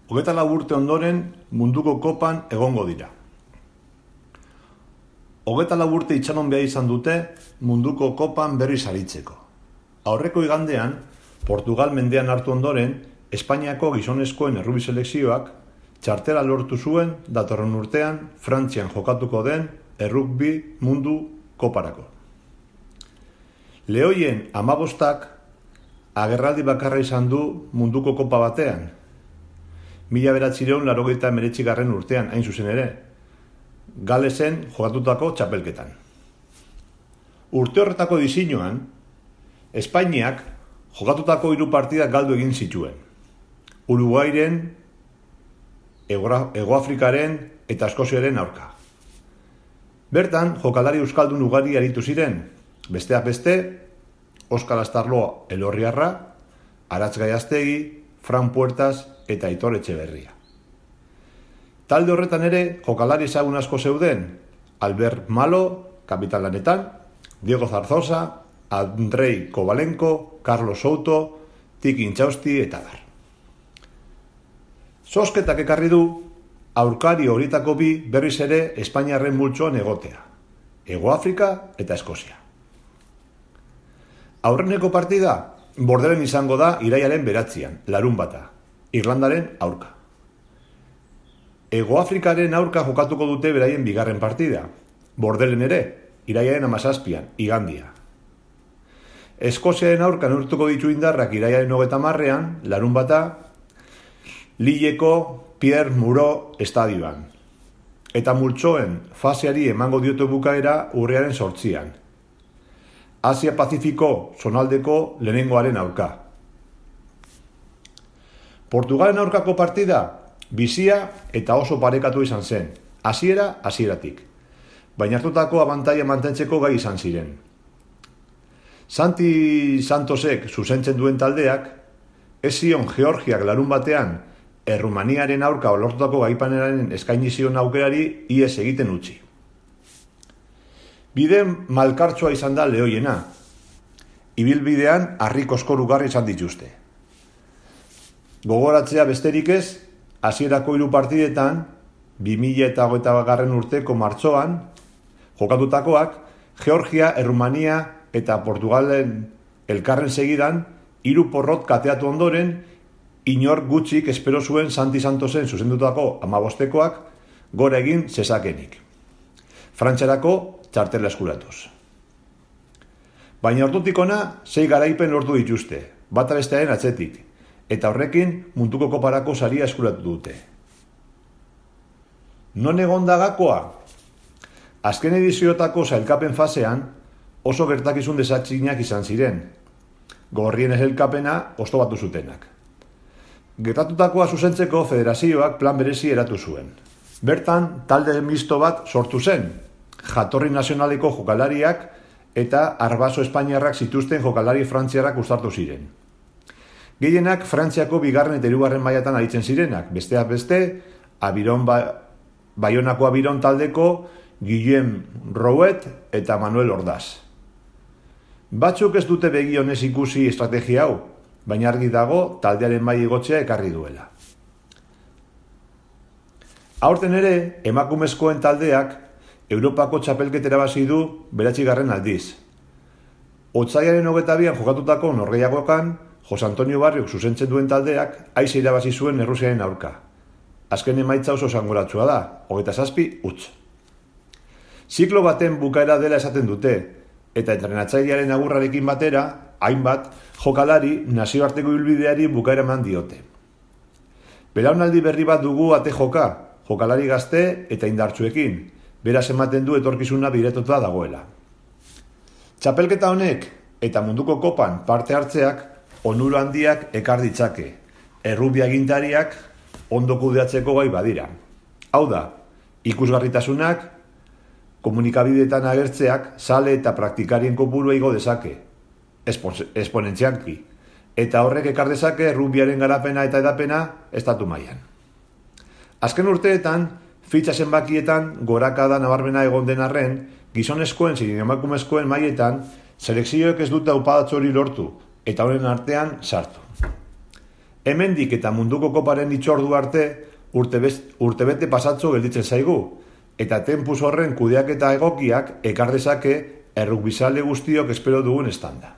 24 urte ondoren munduko kopan egongo dira. 24 urte itxaron behar izan dute munduko kopan berriz aritzeko. Aurreko igandean, Portugal mendean hartu ondoren, Espainiako gizonezkoen errubi selekzioak txartela lortu zuen datorren urtean Frantzian jokatuko den errugbi mundu koparako. Lehoien 15ak agerraldi bakarra izan du munduko kopa batean. 1989 urtean hain zuzen ere, Galesen jokatutako txapelketan. Urte horretako diseinuan, Espainiak jokatutako 3 partidak galdu egin zituen. Uruguairen, Hegoafrikaren eta Eskoziaren aurka. Bertan, jokalari euskaldun ugari aritu ziren, besteak beste, Oskar Astarloa Elorriarra, Aratz Gaiaztegi, Fran Puertas eta Aitor Etxeberria. Talde horretan ere, jokalari ezagun asko zeuden, Albert Malo, kapitan lanetan, Diego Zarzosa, Andrei Kovalenko, Carlos Souto, Tiki Intxausti eta dar. Zozketak ekarri du, aurkari horietako bi berriz ere Espainiarren multzoan egotea, Hegoafrika eta Eskozia. Aurreneko partida, Bordelen izango da iraiaren 9, larunbata, Irlandaren aurka. Hegoafrikaren aurka jokatuko dute beraien bigarren partida, Bordelen ere, iraiaren 17, igandia. Eskoziaren aurka neurtuko ditu indarrak iraiaren 30, larunbata, Lilleko Pierre Moreau estadioan. Eta multzoen faseari emango diote bukaera urriaren 8. Asia-Pazifiko zonaldeko lehenengoaren aurka. Portugalen aurkako partida bizia eta oso parekatu izan zen, hasieratik, baina hartutako abantaila mantentzeko gai izan ziren. Santi Santosek zuzentzen duen taldeak, ez zion Georgiak larun batean Errumaniaren aurka lortutako gaipanaren eskaini zion aukerari ihes egiten utzi. Bide malkartsua izan da lehoiena. Ibilbidean harriko ugarri izan dituzte. Gogoratzea besterik ez, hasierako 3 partidetan, 2021 urteko martxoan, jokatutakoak, Georgia, Errumania eta Portugalen elkarren segidan, 3 porrot kateatu ondoren, inor gutxik espero zuen Santi Santosen zuzendutako 15koak gora egin zezakenik. Frantziarako txartela eskuratuz. Baina ordutik ona 6 garaipen lortu dituzte, bata bestearen atzetik, eta horrekin munduko koparako saria eskuratu dute. Non egon da gakoa? Azken ediziotako sailkapen fasean oso gertakizun desatxinak izan ziren, gorrien sailkapena oztopatu zutenak. Gertatutakoa zuzentzeko federazioak plan berezi eratu zuen. Bertan, talde misto bat sortu zen, jatorri nazionaleko jokalariak eta arbaso espainiarrak zituzten jokalari frantziarrak uztartu ziren. Gehienak Frantziako 2. eta 3. mailatan aritzen zirenak, besteak beste, Baionako Abiron taldeko Guillem Rouet eta Manuel Ordaz. Batzuk ez dute begi honez ikusi estrategia hau, baina argi dago taldearen maila igotzea ekarri duela. Aurten ere, emakumezkoen taldeak Europako txapelketera irabazi du 9. aldiz. Otsailaren 22an jokatutako norgehiagokan, Jose Antonio Barriok zuzentzen duen taldeak aise irabazi zuen Errusiaren aurka. Azken emaitza oso esanguratsua da, 27-0. Ziklo baten bukaera dela esaten dute, eta entrenatzailearen agurrarekin batera, hainbat jokalari nazioarteko ibilbideari bukaera eman diote. Belaunaldi berri bat dugu ate jokalari gazte eta indartsuekin, beraz ematen du etorkizuna biretotua dagoela. Txapelketa honek eta munduko kopan parte hartzeak onura handiak ekar ditzake, errugbi agintariak ondo kudeatzeko gai badira. Hau da, ikusgarritasunak, komunikabideetan agertzeak zale eta praktikarien kopurua igo dezake, esponentzialki, eta horrek ekar dezake rugbiaren garapena eta edapena estatu mailan. Azken urteetan, fitxa zenbakietan gorakada nabarmena egon den arren, gizonezkoen zein emakumezkoen mailetan, selekzioek ez dute aupadatxo hori lortu, eta honen artean sartu. Hemendik eta munduko koparen itxordu arte urtebete pasatxo gelditzen zaigu, eta tempus horren kudeaketa egokiak ekar dezake errugbizale guztiok espero dugun estanda.